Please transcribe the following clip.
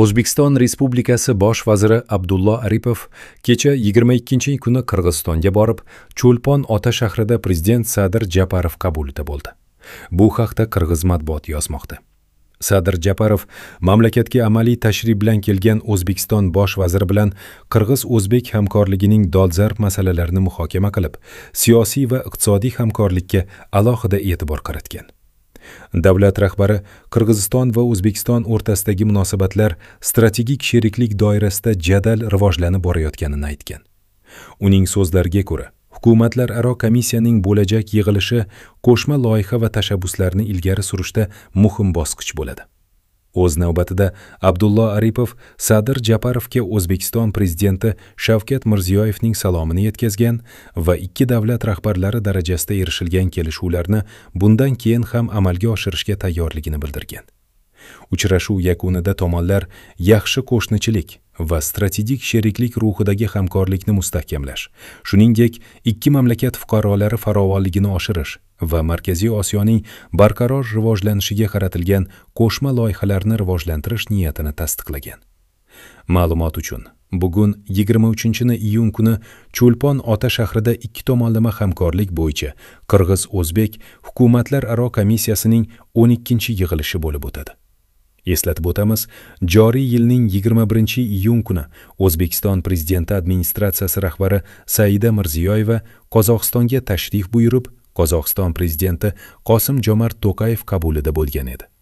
O'zbekiston Respublikasi Bosh vaziri Abdullo Aripov kecha 22 kuni Qirg'izistonga borib, Cho'lpon ota shahrida prezident Sadir Japarov qabulida bo'ldi. Bu haqda qirg'iz matbuoti yozmoqda. Sadir Japarov mamlakatga amaliy tashrif bilan kelgan O'zbekiston Bosh vaziri bilan qirg'iz-o'zbek hamkorligining dolzarb masalalarini muhokama qilib, siyosiy va iqtisodiy hamkorlikka alohida e'tibor qaratgan. Davlat rahbari Qirg'iziston va O'zbekiston o'rtasidagi munosabatlar strategik sheriklik doirasida jadal rivojlanib borayotganini aytgan. Uning so'zlariga ko'ra, hukumatlararo komissiyaning bo'lajak yig'ilishi qo'shma loyiha va tashabbuslarni ilgari surishda muhim bosqich bo'ladi. O'z navbatida Abdullo Aripov Sadir Japarovga O'zbekiston prezidenti Shavkat Mirziyoyevning salomini yetkazgan va ikki davlat rahbarlari darajasida erishilgan kelishuvlarni bundan keyin ham amalga oshirishga tayyorligini bildirgan. Uchrashuv yakunida tomonlar yaxshi qo'shnichilik va strategik sheriklik ruhidagi hamkorlikni mustahkamlash, shuningdek, ikki mamlakat fuqarolari farovonligini oshirish va Markaziy Osiyoning barqaror rivojlanishiga qaratilgan qo'shma loyihalarni rivojlantirish niyatini tasdiqlagan. Ma'lumot uchun, bugun 23-iyun kuni Cho'lpon ota shahrida ikki tomonlama hamkorlik bo'yicha Qirg'iz-O'zbek hukumatlararo komissiyasining 12-yig'ilishi bo'lib o'tadi. Eslatib o'tamiz, joriy yilning 21-iyun kuni O'zbekiston Prezidenti administratsiyasi rahbari Saida Mirziyoyeva Qozog'istonga tashrif buyurib, Qozog'iston prezidenti Qosim Jomart To'qayev qabulida bo'lgan edi.